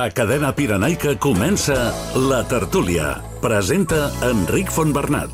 A Cadena Pirenaica comença La Tertúlia. Presenta Enric Fontbernat.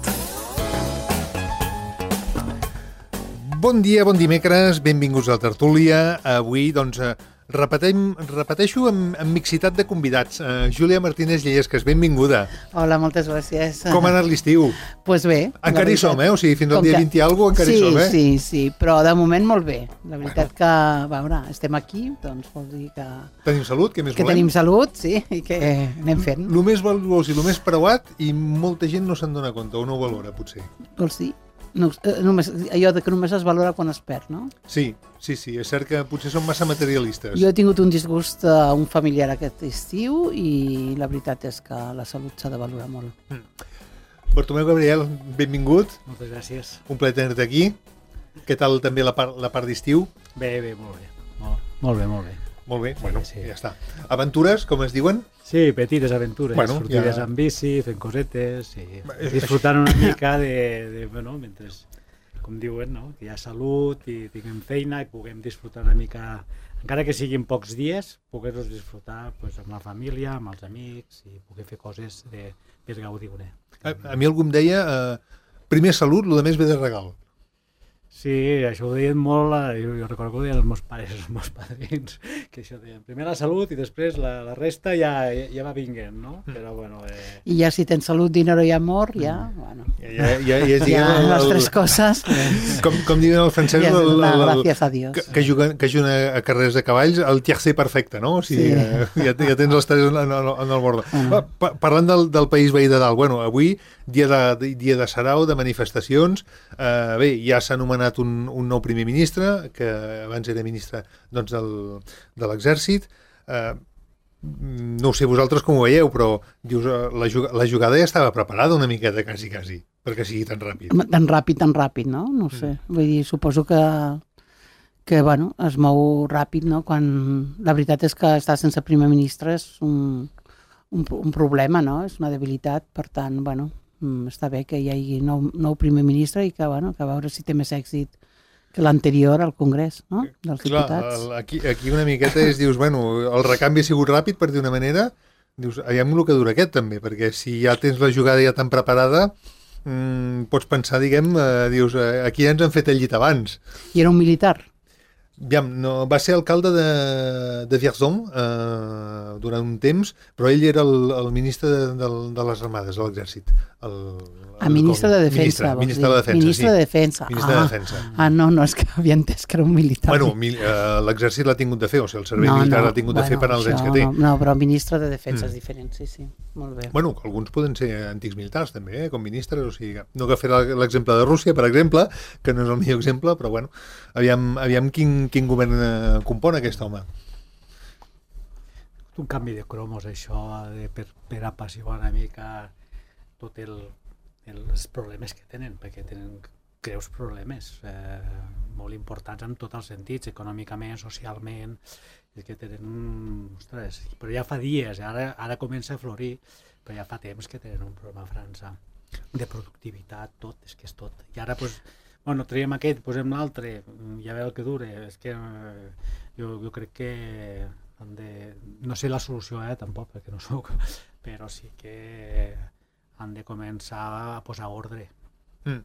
Bon dia, bon dimecres, benvinguts a La Tertúlia. Avui, doncs, repeteixo amb mixitat de convidats. Júlia Martínez Llesques, benvinguda. Hola, moltes gràcies. Com ha anat l'estiu? Pues bé. Encara hi som, O sigui, fins al dia 20 i alguna cosa encara hi som, Sí, però de moment molt bé. La veritat que, a veure, estem aquí, doncs vol dir que... Tenim salut, què més volem? Que tenim salut, sí, i que anem fent. El més valuós i el més preuat, i molta gent no se'n dona compte, o no ho valora, potser. Vols dir? No, només, allò de que només es valora quan es perd, no? Sí, és cert que potser som massa materialistes. Jo he tingut un disgust a un familiar aquest estiu i la veritat és que la salut s'ha de valorar molt. Bartomeu Gabriel, benvingut. Moltes gràcies. Un plaer tenir-te aquí. Què tal també la part d'estiu? Bé, molt bé. Molt bé. Molt bé, bueno, sí. Ja està. Aventures, com es diuen? Sí, petites aventures, bueno, sortides amb bici, fent cosetes, i disfrutant una mica bueno, mentre, com diuen, no? Que hi ha salut i tinguem feina i puguem disfrutar una mica, encara que siguin pocs dies, poder-los disfrutar pues, amb la família, amb els amics i poder fer coses per gaudir-ne. A mi algú em deia, primer salut, el més ve de regal. Sí, això ho deien molt, jo recordo que ho deien els meus pares, els meus padrins, que això deien, primer la salut i després la resta ja va vinguent, no? Però bueno... I ja si tens salut, dinero i amor, ja, bueno... Ja les tres coses... Com diuen els francesos... Gràcies a Dios. Que juguen a carreres de cavalls, el tiercé perfecte, no? O sigui, ja tens els tres en el bord. Parlant del país veí de dalt, bueno, avui, dia de sarau, de manifestacions, bé, ja s'ha anomenat un nou primer ministre, que abans era ministre doncs, de l'exèrcit. No ho sé vosaltres com ho veieu, però dius, la jugada ja estava preparada una miqueta, quasi, perquè sigui tan ràpid. Tan ràpid, no? No sé. Vull dir, suposo que bueno, es mou ràpid, no? Quan la veritat és que estar sense primer ministre és un problema, no? És una debilitat, per tant, bueno, està bé que hi hagi nou primer ministre i que, bueno, que a veure si té més èxit que l'anterior al Congrés, no? Dels diputats. Clar, aquí una miqueta dius, bueno, el recanvi ha sigut ràpid, per dir una manera, dius, aviam el que dura aquest també, perquè si ja tens la jugada ja tan preparada, pots pensar, diguem, dius, aquí ja ens han fet el llit abans. I era un militar? Aviam, no, va ser alcalde de Vierzon durant un temps, però ell era el ministre de les armades, de l'exèrcit. Ministre de Defensa. Ministre de Defensa, Ministre de Defensa. Ministre de Defensa. No, és que havia entès que era un militar. Bueno, l'exèrcit l'ha tingut de fer, o sigui, el servei militar l'ha tingut de fer per als anys que té. No, però ministre de Defensa és diferent, sí, molt bé. Bueno, alguns poden ser antics militars també, com ministres, o sigui, no que fer l'exemple de Rússia, per exemple, que no és el millor exemple, però bueno, aviam quin govern compon aquest home. Un canvi de cromos, això, per apaciguar una mica tots els problemes que tenen, perquè tenen greus problemes molt importants en tots els sentits, econòmicament, socialment, que tenen... Ostres, però ja fa dies, ara comença a florir, però ja fa temps que tenen un problema a França de productivitat, tot, és que és tot. I ara, doncs, bueno, traiem aquest, posem l'altre, ja ve el que dure, és que jo crec que no sé la solució, tampoc, perquè no soc, però sí que han de començar a posar ordre.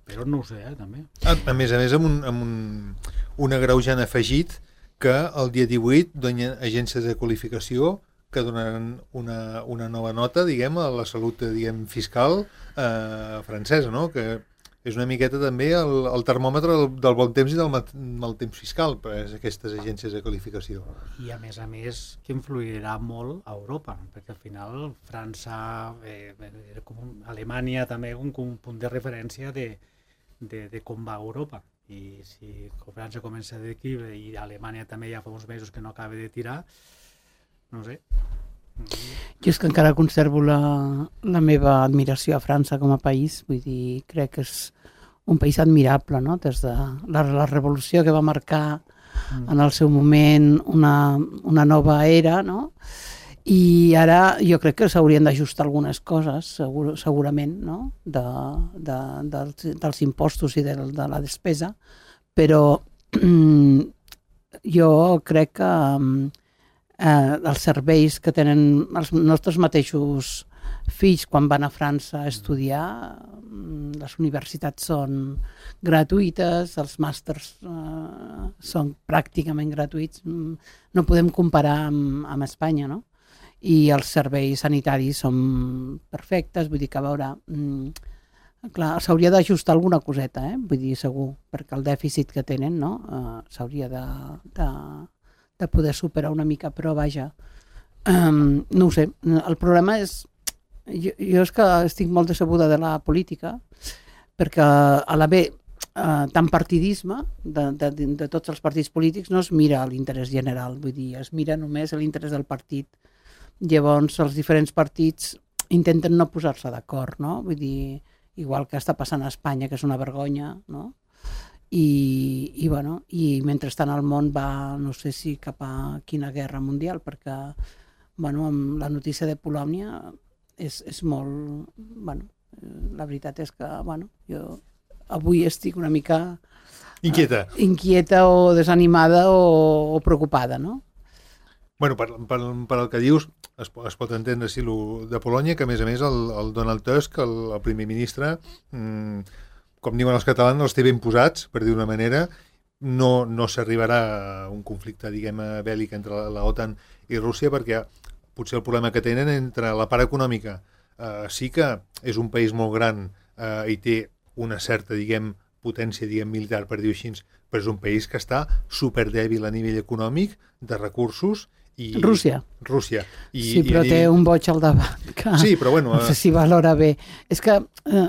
Però no ho sé, també. A més, amb un agreujant afegit que el dia 18 donen agències de qualificació que donaran una nova nota, diguem, a la salut, diguem, fiscal francesa, no? Que és una miqueta també el termòmetre del bon temps i del mal temps fiscal per aquestes agències de qualificació. I a més que influirà molt a Europa, perquè al final França, Alemanya també un punt de referència de com va Europa. I si França comença a declive i Alemanya també ja fa uns mesos que no acaba de tirar, no sé. Jo és que encara conservo la meva admiració a França com a país, vull dir, crec que és un país admirable, no? Des de la revolució que va marcar en el seu moment una nova era, no? I ara jo crec que s'haurien d'ajustar algunes coses, segurament, no? Dels impostos i de la despesa, però jo crec que els serveis que tenen els nostres mateixos fills quan van a França a estudiar. Les universitats són gratuïtes, els màsters són pràcticament gratuïts. No podem comparar amb Espanya, no? I els serveis sanitaris són perfectes, vull dir que a veure... Clar, s'hauria d'ajustar alguna coseta, vull dir, segur, perquè el dèficit que tenen, no? S'hauria de poder superar una mica, però vaja, no ho sé, el problema és, jo és que estic molt decebuda de la política, perquè a l'haver tant partidisme de tots els partits polítics no es mira l'interès general, vull dir, es mira només l'interès del partit. Llavors els diferents partits intenten no posar-se d'acord, no? Vull dir, igual que està passant a Espanya, que és una vergonya, no? I mentrestant el món va, no sé si cap a quina guerra mundial, perquè amb la notícia de Polònia és molt... la veritat és que jo avui estic una mica... Inquieta o desanimada o preocupada, no? Bueno, per el que dius, es pot entendre si de Polònia, que a més el Donald Tusk, el primer ministre, com diuen els catalans, els té ben posats, per dir d'una manera. No s'arribarà a un conflicte, diguem, bèl·lic entre la OTAN i Rússia, perquè potser el problema que tenen entre la part econòmica sí que és un país molt gran i té una certa, diguem, potència, diguem, militar, per dir-ho així, però és un país que està superdèbil a nivell econòmic, de recursos. Rússia. Sí, però té un boig al davant. Sí, però bueno... No sé si valora bé. És que,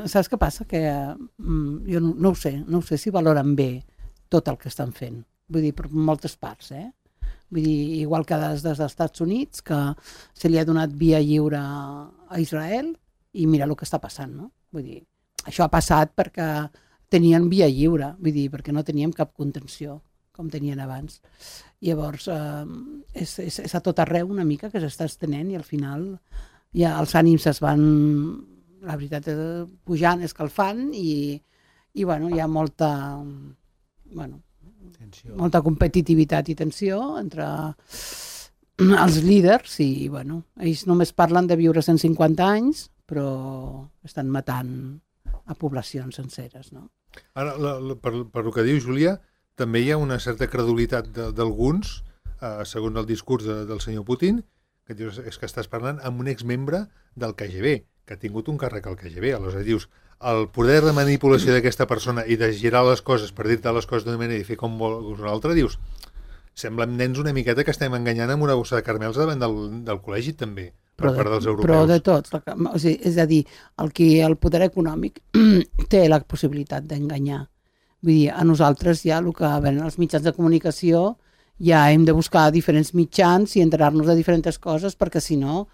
saps què passa? Que jo no ho sé si valoren bé tot el que estan fent. Vull dir, per moltes parts, Vull dir, igual que des dels Estats Units, que se li ha donat via lliure a Israel, i mira el que està passant, no? Vull dir, això ha passat perquè tenien via lliure, vull dir, perquè no teníem cap contenció, com tenien abans. Llavors, és a tot arreu una mica que s'està estenent i al final ja els ànims es van, la veritat, pujant, escalfant i hi ha molta competitivitat i tensió entre els líders i ells només parlen de viure 150 anys però estan matant a poblacions senceres, no? Ara, per el que diu Júlia, també hi ha una certa credulitat d'alguns, segons el discurs del senyor Putin, que dius, és que estàs parlant amb un exmembre del KGB, que ha tingut un càrrec al KGB. Aleshores dius, el poder de manipulació d'aquesta persona i de girar les coses per dir-te les coses d'una manera i fer com vols una altra, dius, semblen nens una miqueta que estem enganyant amb una bossa de caramels davant del col·legi també, per part dels europeus. Però de tots, o sigui, és a dir, el poder econòmic té la possibilitat d'enganyar. Vull dir, a nosaltres ja el que venen els mitjans de comunicació ja hem de buscar diferents mitjans i enterar-nos de diferents coses perquè si no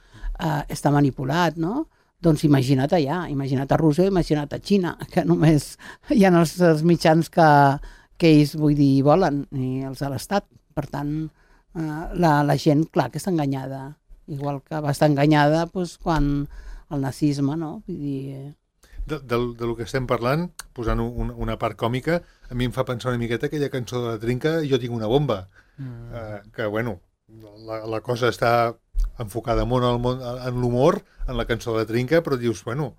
està manipulat, no? Doncs imagina't allà, imagina't a Rússia, imagina't a Xina, que només hi ha els mitjans que ells, vull dir, volen, i els de l'Estat. Per tant, la gent, clar, que està enganyada. Igual que va estar enganyada quan el nazisme, no? Vull dir... Del que estem parlant, posant una part còmica, a mi em fa pensar una miqueta aquella cançó de la Trinca, Jo tinc una bomba, que, bueno, la cosa està enfocada molt en l'humor, en la cançó de la Trinca, però dius, bueno,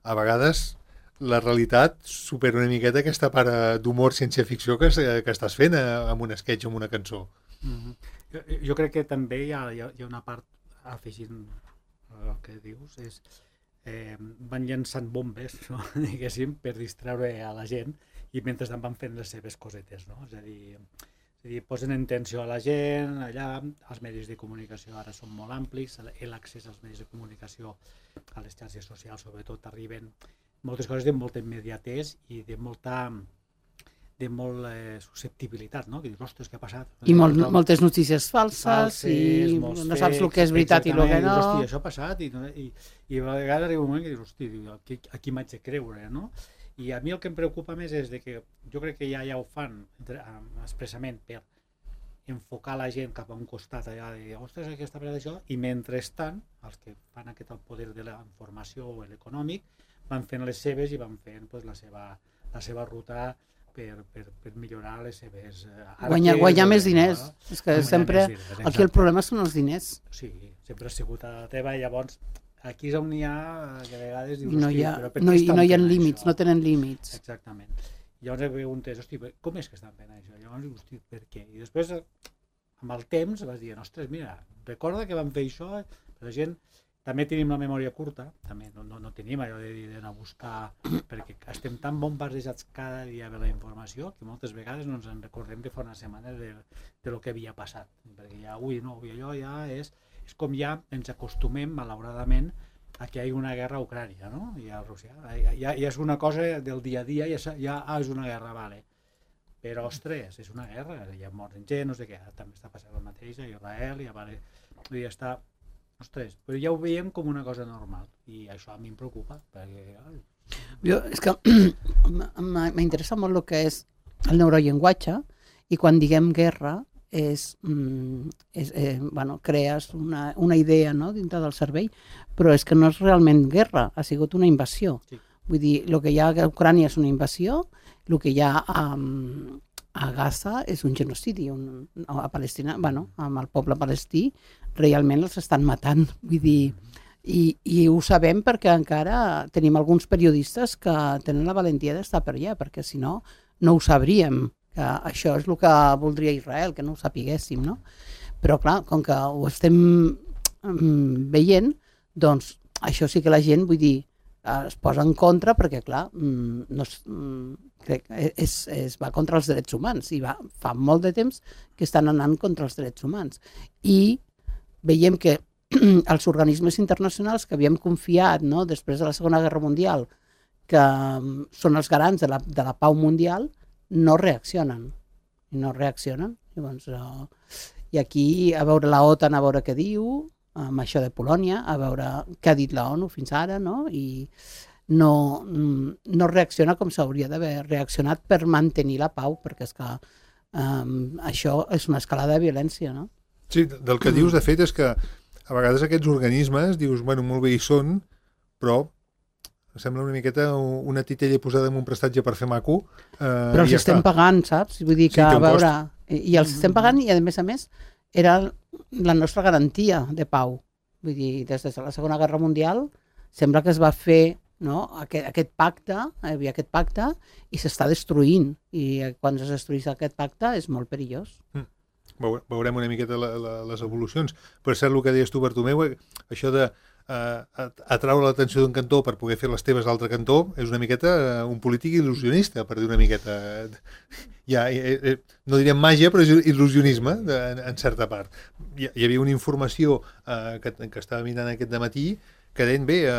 a vegades la realitat supera una miqueta aquesta part d'humor ciència-ficció que estàs fent amb un sketch o amb una cançó. Jo crec que també hi ha una part, afegint el que dius, és van llançant bombes, no? Diguéssim, per distreure a la gent i mentrestant van fent les seves cosetes, no? És a dir, posen en tensió a la gent allà, els medis de comunicació ara són molt amplis, l'accés als medis de comunicació a les xarxes socials sobretot arriben moltes coses de molta immediatesa i de molta susceptibilitat, no? Que dius, ostres, què ha passat? I moltes notícies falses i no saps el que és veritat i el que no. Hòstia, això ha passat i a vegades arriba un moment que dius, hòstia, aquí m'haig de creure, no? I a mi el que em preocupa més és que jo crec que ja ho fan expressament per enfocar la gent cap a un costat allà de, ostres, què està passant això? I mentrestant, els que fan aquest poder de la informació o l'econòmic van fent les seves i van fent la seva ruta per millorar les seves... Guanyar més diners. És que sempre... Aquí el problema són els diners. Sí, sempre ha sigut a la teva i llavors aquí és on hi ha, que a vegades dius, no hi ha límits, no tenen límits. Exactament. I llavors em preguntes, hosti, com és que estan fent això? Llavors, hosti, per què? I després, amb el temps, vas dir, ostres, mira, recorda que vam fer això, però la gent... També tenim la memòria curta, també no tenim allò d'anar a buscar, perquè estem tan bombardejats cada dia de la informació que moltes vegades no ens en recordem de fa una setmana de lo que havia passat. Perquè ja avui allò ja és com ja ens acostumem, malauradament, a que hi ha una guerra a Ucrània, no? I a Rússia. Ja és una cosa del dia a dia, ja és una guerra, vale. Però, ostres, és una guerra, hi ha morts gent, no sé què, també està passant el mateix a Israel, ja està... Ostres, però ja ho veiem com una cosa normal i això a mi em preocupa perquè... És que m'interessa molt el que és el neurollenguatge i quan diguem guerra crees una idea, no, dintre del cervell, però és que no és realment guerra, ha sigut una invasió. Sí. Vull dir, el que hi ha a Ucrània és una invasió, el que hi ha a Gaza és un genocidi, a Palestina, amb el poble palestí, realment els estan matant, vull dir, i ho sabem perquè encara tenim alguns periodistes que tenen la valentia d'estar per allà, perquè si no, no ho sabríem, que això és el que voldria Israel, que no ho sapiguéssim, no? Però clar, com que ho estem veient, doncs això sí que la gent, vull dir, es posa en contra perquè, clar, crec que es va contra els drets humans i fa molt de temps que estan anant contra els drets humans. I veiem que els organismes internacionals que havíem confiat, no, després de la Segona Guerra Mundial, que són els garants de la pau mundial, no reaccionen. I aquí, a veure la OTAN, a veure què diu, amb això de Polònia, a veure què ha dit la ONU fins ara, no? I no reacciona com s'hauria d'haver reaccionat per mantenir la pau, perquè és que això és una escalada de violència, no? Sí, del que dius, de fet, és que a vegades aquests organismes, dius, bueno, molt bé hi són, però sembla una miqueta una titella posada en un prestatge per fer maco. Però els estem pagant, saps? Vull dir que, a veure, i els estem pagant i, a més, era la nostra garantia de pau. Vull dir, des de la Segona Guerra Mundial sembla que es va fer, no, aquest pacte, hi havia aquest pacte i s'està destruint. I quan es destrueix aquest pacte és molt perillós. Veurem una miqueta les evolucions. Per cert, el que deies tu, Bartomeu, això de atraure l'atenció d'un cantó per poder fer les teves a l'altre cantó és una miqueta un polític il·lusionista, per dir una miqueta. No diríem màgia, però és il·lusionisme, en certa part. Hi havia una informació que estava mirant aquest dematí que deien, bé,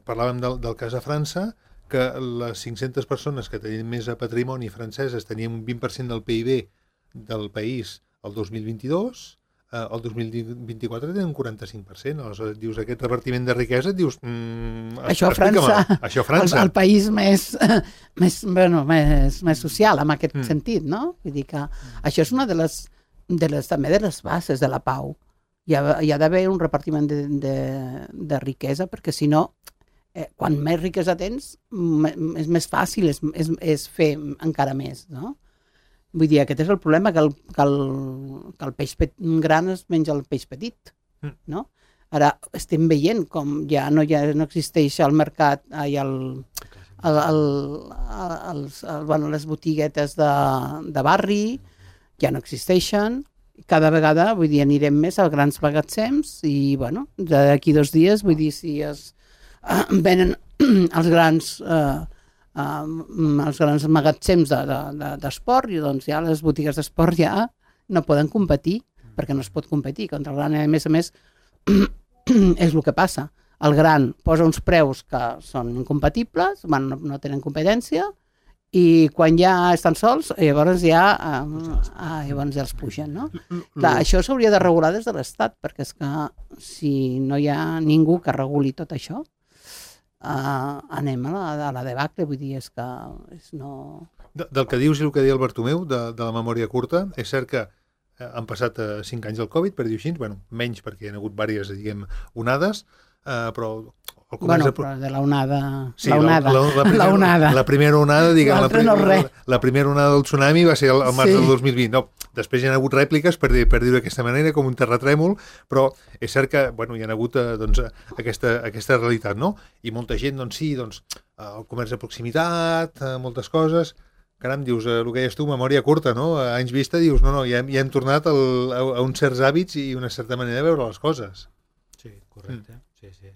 parlàvem del cas a França, que les 500 persones que tenien més a patrimoni franceses tenien un 20% del PIB del país el 2022, el 2024 tenen un 45%. Aleshores, dius, aquest repartiment de riquesa, dius... Això a França. El país més social, en aquest sentit, no? Vull dir que això és una també de les bases de la pau. Hi ha d'haver un repartiment de riquesa, perquè si no, quan més riquesa tens, és més fàcil és fer encara més, no? Vull dir, aquest és el problema, que el peix gran es menja el peix petit, no? Ara estem veient com ja no existeix al mercat, les botiguetes de barri, ja no existeixen. Cada vegada, vull dir, anirem més a grans magatzems i, bueno, d'aquí 2 dies, vull dir, si es venen els grans magatzems d'esport, i doncs ja les botigues d'esport ja no poden competir, perquè no es pot competir contra el gran. A més, és el que passa. El gran posa uns preus que són incompatibles, no tenen competència, i quan ja estan sols, llavors ja els pugen, no? Clar, això s'hauria de regular des de l'Estat, perquè és que si no hi ha ningú que reguli tot això, anem a la debacle, vull dir, és que no... Del que dius i el que deia el Bartomeu, de la memòria curta, és cert que han passat 5 anys del Covid, per dir-ho així, bueno, menys perquè hi ha hagut diverses, diguem, onades, però el comerç... Bueno, però de la onada... Sí, la onada. La primera onada, diguem, la primera onada del tsunami va ser el març del 2020. No, després hi ha hagut rèpliques, per dir-ho d'aquesta manera, com un terratrèmol, però és cert que bueno, hi ha hagut doncs, aquesta realitat, no? I molta gent, doncs sí, doncs, el comerç de proximitat, moltes coses... Caram, dius, el que deies tu, memòria curta, no? A anys vista dius, no, ja hem tornat a uns certs hàbits i una certa manera de veure les coses. Sí, correcte, sí.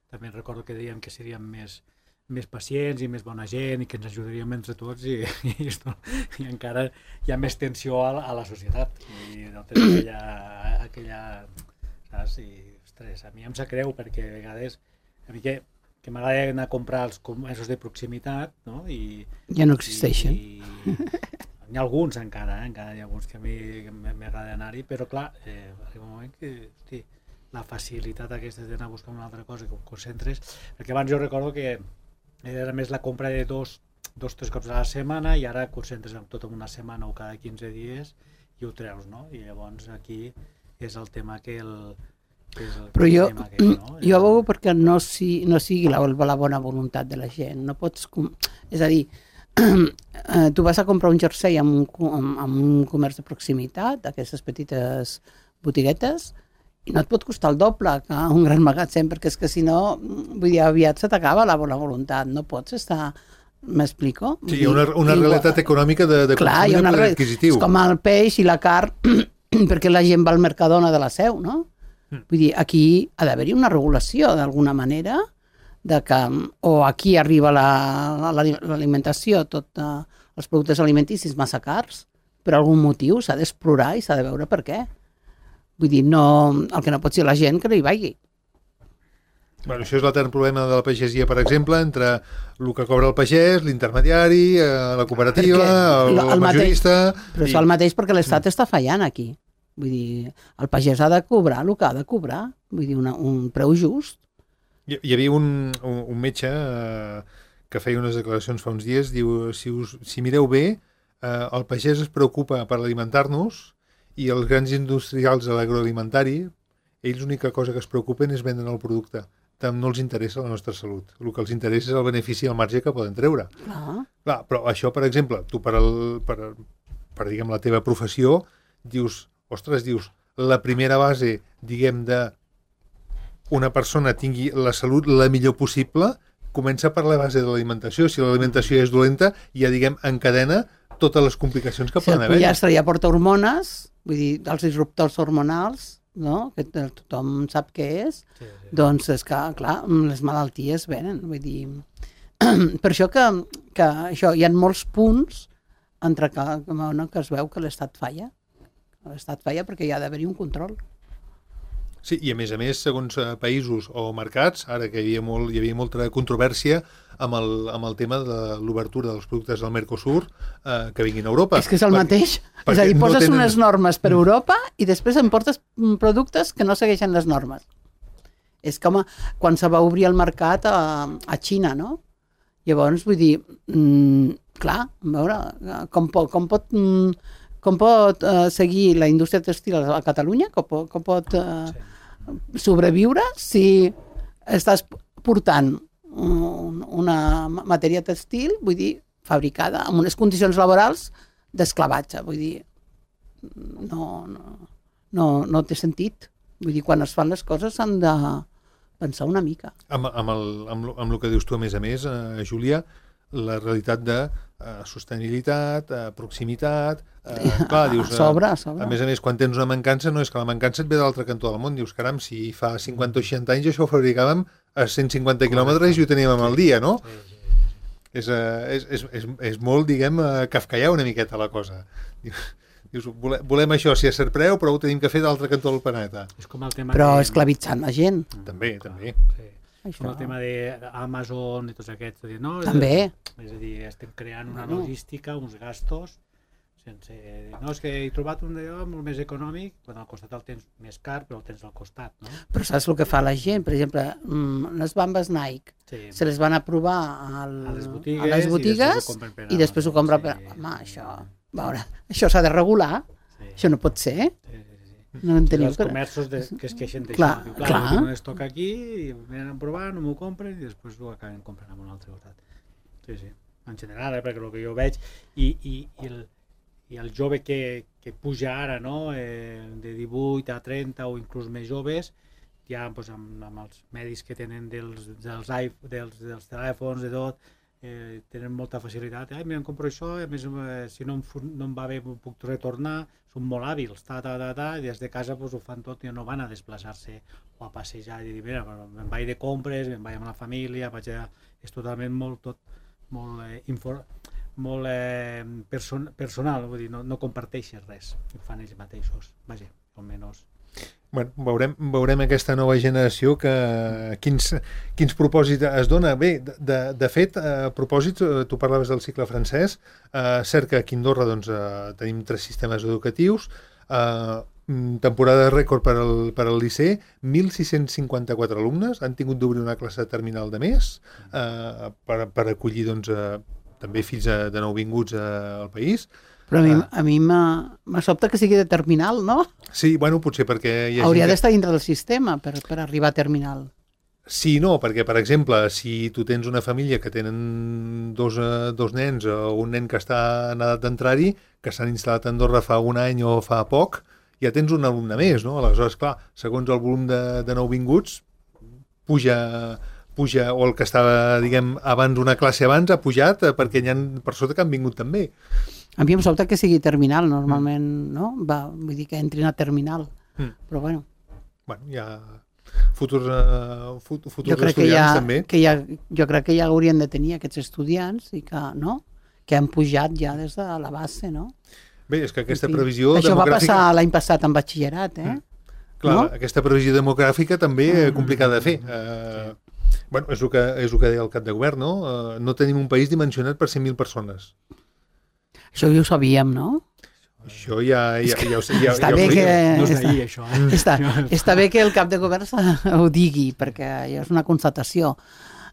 També recordo que dèiem que seríem més pacients i més bona gent i que ens ajudaríem entre tots i encara hi ha més tensió a la societat i no tens aquella saps? I, ostres, a mi em sap greu perquè a vegades a mi que m'agrada anar a comprar els comerços de proximitat, no? I ja no existeixen. N'hi ha alguns encara hi ha alguns que a mi m'agrada anar-hi, però clar, arriba un moment que, hosti, la facilitat aquesta d'anar a buscar una altra cosa que ho concentres, perquè abans jo recordo que era més la compra de dos, 3 cops a la setmana i ara concentres tot en una setmana o cada 15 dies i ho treus, no? I llavors aquí és el tema que però jo veig perquè no sigui la bona voluntat de la gent. No pots... És a dir, tu vas a comprar un jersei amb un comerç de proximitat, aquestes petites botiguetes, i no et pot costar el doble que un gran magatzem, perquè és que si no, vull dir, aviat se t'acaba la bona voluntat. No pots estar... M'explico? Sí, hi ha una realitat econòmica de consum i de poder adquisitiu. És com el peix i la carn, perquè la gent va al Mercadona de la Seu, no? Vull dir, aquí ha d'haver-hi una regulació d'alguna manera de que o aquí arriba l'alimentació, tots els productes alimenticis massa cars, per algun motiu s'ha d'explorar i s'ha de veure per què. Vull dir, no, el que no pot ser la gent que no hi vagi. Bueno, això és l'etern problema de la pagesia, per exemple, entre el que cobra el pagès, l'intermediari, la cooperativa, el majorista... Però és el mateix perquè l'Estat està fallant aquí. Vull dir, el pagès ha de cobrar el que ha de cobrar, vull dir, un preu just. Hi havia un metge que feia unes declaracions fa uns dies, diu, si mireu bé, el pagès es preocupa per alimentar-nos i els grans industrials de l'agroalimentari, ells l'única cosa que es preocupen és vendre el producte. Tant no els interessa la nostra salut. El que els interessa és el benefici i el marge que poden treure. Clar, però això, per exemple, tu per diguem, la teva professió, dius, ostres, la primera base, diguem, de una persona tingui la salut la millor possible, comença per la base de l'alimentació. Si l'alimentació és dolenta, ja, diguem, encadena totes les complicacions que poden haver. Si el pollastre ja porta hormones, vull dir, els disruptors hormonals, no? Que tothom sap què és, doncs és que, clar, les malalties venen, vull dir... Per això que això, hi ha molts punts entre que es veu que l'Estat falla. L'Estat falla perquè hi ha d'haver-hi un control. Sí, i a més, segons països o mercats, ara que hi havia molta controvèrsia amb el tema de l'obertura dels productes del Mercosur que vinguin a Europa. És que és el mateix. És a dir, poses unes normes per Europa i després importes productes que no segueixen les normes. És com quan se va obrir el mercat a Xina, no? Llavors, vull dir, clar, a veure, com pot seguir la indústria textil a Catalunya, com pot sobreviure si estàs portant una matèria textil, vull dir, fabricada amb unes condicions laborals d'esclavatge, vull dir, no té sentit. Vull dir, quan es fan les coses s'han de pensar una mica. Amb el que dius tu, a més, Júlia, la realitat de sostenibilitat, proximitat... Clar, dius, a més, quan tens una mancança, no és que la mancança et ve de l'altre cantó del món. Dius, caram, si fa 50 o 60 anys això ho fabricàvem a 150 quilòmetres i ho teníem al dia, no? És molt, diguem, kafkaià una miqueta la cosa. Dius, volem això, si a cert preu, però ho tenim que fer d'altre cantó del planeta. Però esclavitzant la gent. També. Com el tema d'Amazon i tots aquests. També. És a dir, estem creant una logística, uns gastos, sense... No, és que he trobat un d'allò molt més econòmic, quan al costat el tens més car, però el tens al costat, no? Però saps el que fa la gent? Per exemple, les bambes Nike, se les van aprovar a les botigues i després ho compren per... Home, això s'ha de regular, això no pot ser. No en teniu Els comerços que es queixen d'això. Clar, Diu, clar. no es toca aquí, i venen a provar, no m'ho compren i després ho acaben comprant en un altre costat. Sí, sí. En general, perquè el que jo veig i el jove que puja ara, no? De 18 a 30 o inclús més joves, ja doncs, amb els medis que tenen dels telèfons, de tot, tenen molta facilitat. Ai, mira, em compro això, a més, si no em va bé puc retornar, són molt hàbils, i des de casa doncs, ho fan tot i no van a desplaçar-se o a passejar i dir, mira, me'n vaig de compres, me'n vaig amb la família, és totalment molt personal, vull dir, no comparteixes res, ho fan ells mateixos, vaja, almenys. Bueno, veurem aquesta nova generació quins propòsits es dona. Bé, de fet, propòsits, tu parlaves del cicle francès, cert que aquí a Andorra doncs, tenim 3 sistemes educatius, temporada rècord per al Liceu, 1.654 alumnes han tingut d'obrir una classe terminal de mes per acollir doncs, també fills de nouvinguts al país. Però a mi m'ha sobtat que sigui de terminal, no? Sí, bueno, potser perquè... Hauria d'estar dintre del sistema per arribar a terminal. Sí, no, perquè, per exemple, si tu tens una família que tenen dos nens o un nen que està en edat d'entrar-hi, que s'han instal·lat a Andorra fa un any o fa poc, ja tens un alumne més, no? Aleshores, clar, segons el volum de nouvinguts, puja, o el que estava, diguem, abans una classe abans ha pujat perquè hi ha per sota que han vingut també. A mi em sobta que sigui terminal, normalment, no? Vull dir que entrin a terminal, però bueno. Bueno, hi ha futurs estudiants també. Jo crec que ja haurien de tenir aquests estudiants i que, no? Que han pujat ja des de la base, no? Bé, és que aquesta previsió demogràfica... Això va passar l'any passat en batxillerat, Clar, no? Aquesta previsió demogràfica també és complicada de fer. Bueno, és el que deia el cap de govern, no? No tenim un país dimensionat per 100.000 persones. Això ja ho sabíem, no? Això ja ho Està bé que... No és d'ahir, això. Està bé que el cap de govern ho digui, perquè és una constatació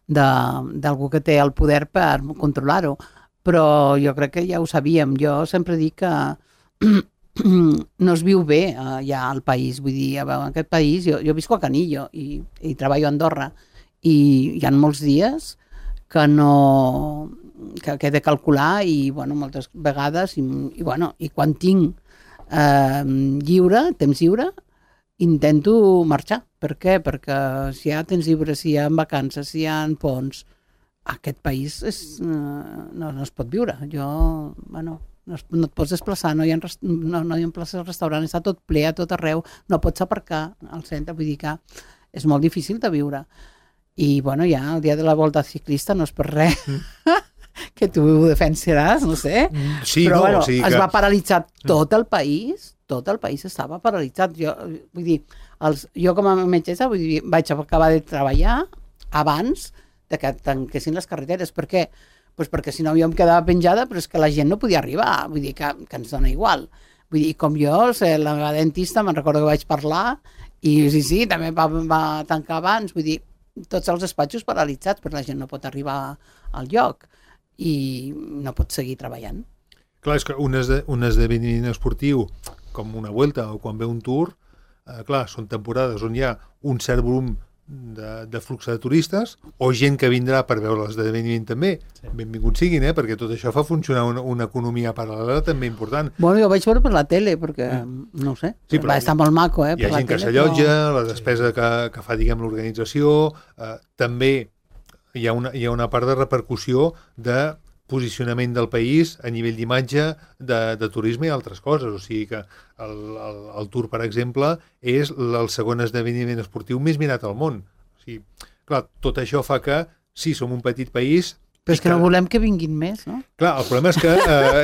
d'algú que té el poder per controlar-ho. Però jo crec que ja ho sabíem. Jo sempre dic que no es viu bé ja al país. Vull dir, en aquest país, jo visco a Canillo i treballo a Andorra, i hi ha molts dies que he de calcular i, bueno, moltes vegades i quan tinc temps lliure intento marxar. Per què? Perquè si hi ha temps lliure, si hi ha vacances, si hi ha ponts, aquest país no es pot viure. No et pots desplaçar, no hi ha places al restaurant, està tot ple a tot arreu, no pots aparcar al centre, vull dir que és molt difícil de viure. I, bueno, ja el dia de la volta ciclista no és per res que tu ho defensaràs, no sé. Sí, però, no, bueno, o sigui es va paralitzar tot el país estava paralitzat. Vull dir, jo com a metgessa vaig acabar de treballar abans de que tanquessin les carreteres. Per què? Pues perquè si no jo em quedava penjada, però és que la gent no podia arribar, vull dir que ens dona igual. Vull dir, com jo, la meva dentista, me'n recordo que vaig parlar, i sí, també va tancar abans, vull dir, tots els despatxos paralitzats, però la gent no pot arribar al lloc i no pot seguir treballant. Clar, és que un esdeveniment esportiu com una Vuelta o quan ve un Tour, clar, són temporades on hi ha un cert volum de flux de turistes o gent que vindrà per veure l'esdeveniment també. Sí. Benvinguts siguin, perquè tot això fa funcionar una economia paral·lela també important. Bueno, jo vaig veure per la tele perquè, no ho sé, sí, va estar molt maco, hi ha gent que s'allotja, la despesa que fa, diguem, l'organització, també hi ha una part de repercussió de posicionament del país a nivell d'imatge, de turisme i altres coses. O sigui que el Tour, per exemple, és el segon esdeveniment esportiu més mirat al món. O sigui, clar, tot això fa que, sí, som un petit país... Però és que no volem que vinguin més, no? Clar, el problema és que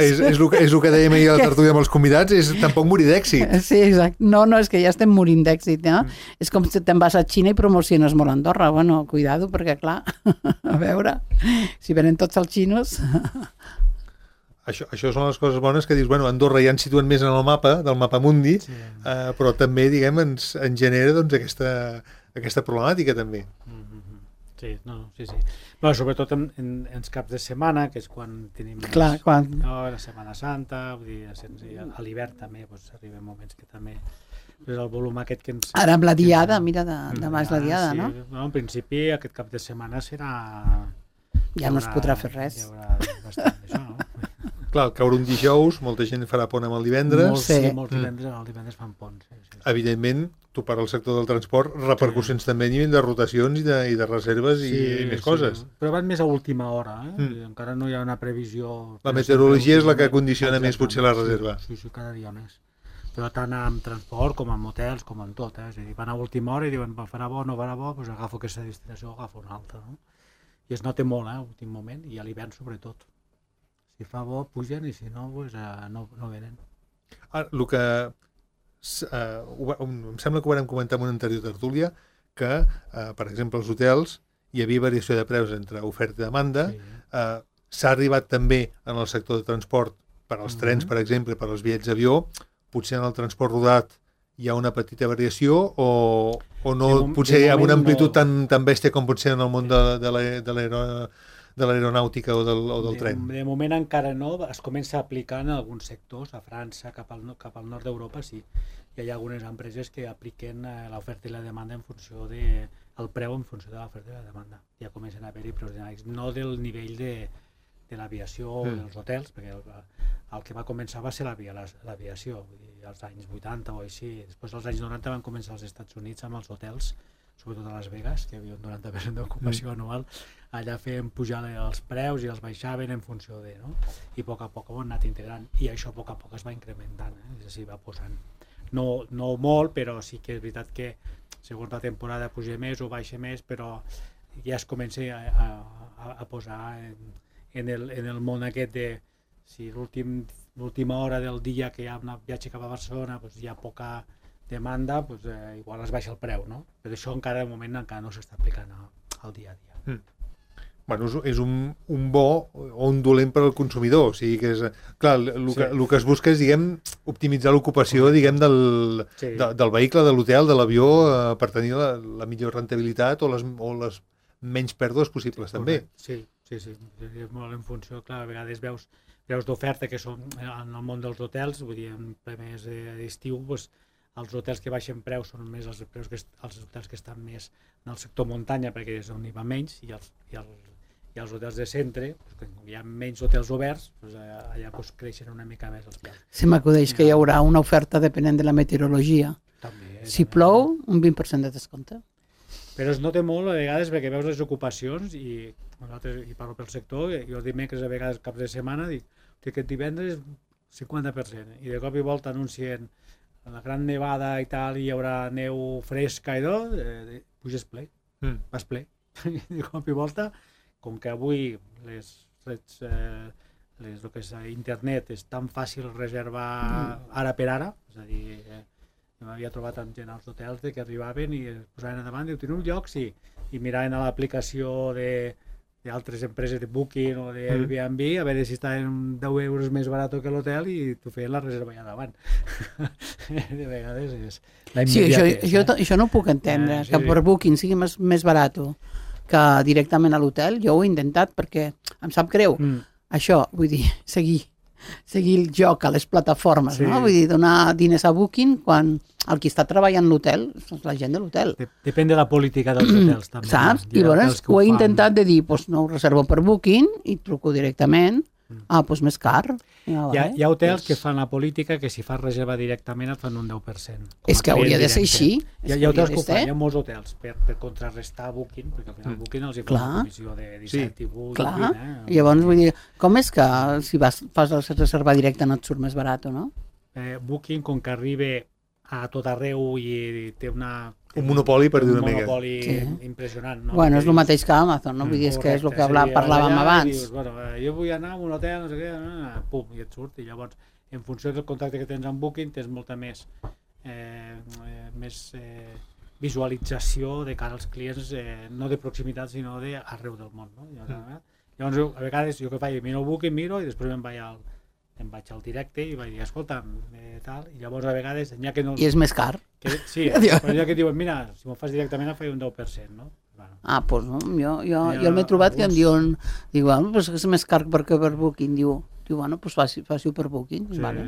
és el que dèiem ahir a la tertúlia amb els convidats, és tampoc morir d'èxit. Sí, exacte. No, és que ja estem morint d'èxit, no? És com si te'n vas a Xina i promociones molt Andorra. Bueno, cuidado, perquè clar, a veure, si venen tots els xinos... Això són les coses bones que dius, bueno, Andorra ja ens situen més en el mapa, del mapa mundi, sí. Però també, diguem, ens genera doncs, aquesta problemàtica també. Sí, no, sí. Bueno, sobretot en els caps de setmana, que és quan tenim la Setmana Santa, vull dir, a l'hivern també arriben moments que també el volum aquest que ens... Ara amb la diada, mira, demà és la diada, no? No, en principi aquest cap de setmana serà... Ja no es podrà fer res. Hi haurà bastant d'això, no? Clar, al caure un dijous, molta gent farà pont amb el divendres. Molts divendres fan pont. Sí. Evidentment, tu per al sector del transport, repercussions també a nivell de rotacions i de reserves i més coses. Però van més a última hora, encara no hi ha una previsió... La meteorologia és la que condiciona més potser la reserva. Sí, cada dia més. Però tant amb transport com amb hotels, com en tot. És a dir, van a última hora i diuen, farà bo, no farà bo, doncs agafo aquesta destinació o agafo una altra. No? I es nota molt, a últim moment, i a l'hivern sobretot. Si fa bo, pugen, i si no, doncs, no venen. Ara, el que... em sembla que ho vam comentar en una anterior tertúlia, que, per exemple, als hotels hi havia variació de preus entre oferta i demanda. S'ha arribat també en el sector de transport, per als trens, per exemple, per als bitllets d'avió. Potser en el transport rodat hi ha una petita variació o no, potser amb una amplitud tan bèstia com pot ser en el món de l'aeronàutica o del tren. De moment encara no, es comença a aplicar en alguns sectors, a França, cap al nord d'Europa, sí. Hi ha algunes empreses que apliquen l'oferta i la demanda en funció el preu en funció de l'oferta i la demanda. Ja comencen a haver-hi preus dinàmics, no del nivell de l'aviació o dels hotels, perquè el que va començar va ser l'aviació, als anys 80 o així. Després, als anys 90, van començar als Estats Units amb els hotels, sobretot a Las Vegas, que hi havia un 90% d'ocupació anual. Allà feien pujar els preus i els baixaven en funció de... No? I a poc ho han anat integrant. I això a poc es va incrementant, és a dir, va posant. No molt, però sí que és veritat que segons la temporada puja més o baixa més, però ja es comença a posar en el món aquest de si l'última hora del dia que hi ha un viatge cap a Barcelona hi ha poca demanda, igual es baixa el preu, no? Però això encara de moment encara no s'està aplicant al dia a dia. Bueno, és un bo o un dolent per al consumidor, o sigui que és... Clar, el que es busca és, diguem, optimitzar l'ocupació, diguem, del vehicle, de l'hotel, de l'avió, per tenir la millor rentabilitat o les menys pèrdues possibles, també. Sí, és molt en funció, clar, a vegades veus d'oferta que són en el món dels hotels, vull dir, en ple mes d'estiu, els hotels que baixen preus són més els hotels que estan més en el sector muntanya, perquè és on hi va menys, i els hotels de centre, quan hi ha menys hotels oberts, allà creixen una mica més els preus. Se m'acudeix que hi haurà una oferta depenent de la meteorologia. Si plou, un 20% de descompte. Però es nota molt a vegades perquè veus les ocupacions i parlo pel sector, i els dimecres a vegades caps de setmana dic que aquest divendres 50%, i de cop i volta anuncien la gran nevada i tal, i hi haurà neu fresca i tot, puges ple, vas ple. I de cop i volta, com que avui les reds, el que és internet, és tan fàcil reservar ara per ara, és a dir, m'havia trobat amb gent als hotels que arribaven i es posaven endavant, diu, teniu un lloc? Sí. I miraven a l'aplicació d'altres empreses de Booking o d'Airbnb a veure si estaven 10 euros més barat que l'hotel i tu feien la reserva allà davant. De vegades és la immediatesa. Sí, això no ho puc entendre, que per Booking sigui més barat que directament a l'hotel. Jo ho he intentat perquè em sap greu. Això, vull dir, seguir el joc a les plataformes, no? Vull dir, donar diners a Booking quan el qui està treballant a l'hotel és la gent de l'hotel. Depèn de la política dels hotels, també. Saps? I llavors ho he intentat de dir, no ho reservo per Booking i truco directament, doncs més car. Hi ha hotels que fan la política que si fas reserva directament et fan un 10%. És que hauria de ser així. Hi ha hotels que ho fan, hi ha molts hotels per contrarrestar Booking, perquè al final Booking els hi fa una comissió de 17 i 8. Clar, llavors vull dir, com és que si fas la reserva directa no et surt més barat o no? Booking, com que arriba a tot arreu i té un monopoli, per dir una mica. Un monopoli impressionant. Bueno, és el mateix que Amazon, no? Vull dir, és que és el que parlàvem abans. Jo vull anar a un hotel, no sé què, pum, i et surt. I llavors, en funció del contacte que tens amb Booking, tens molta més visualització de cara als clients, no de proximitat, sinó d'arreu del món. Llavors, a vegades, jo que faig, miro el Booking, miro, i després em vaig al directe i vaig dir, escolta'm, tal, i llavors a vegades... I és més car. Sí, però ja que diuen, mira, si m'ho fas directament em faig un 10%, no? Doncs no, jo m'he trobat que em diuen, dic, bueno, pues és més car perquè per Booking, diu, bueno, pues faci-ho per Booking. Sí, vale.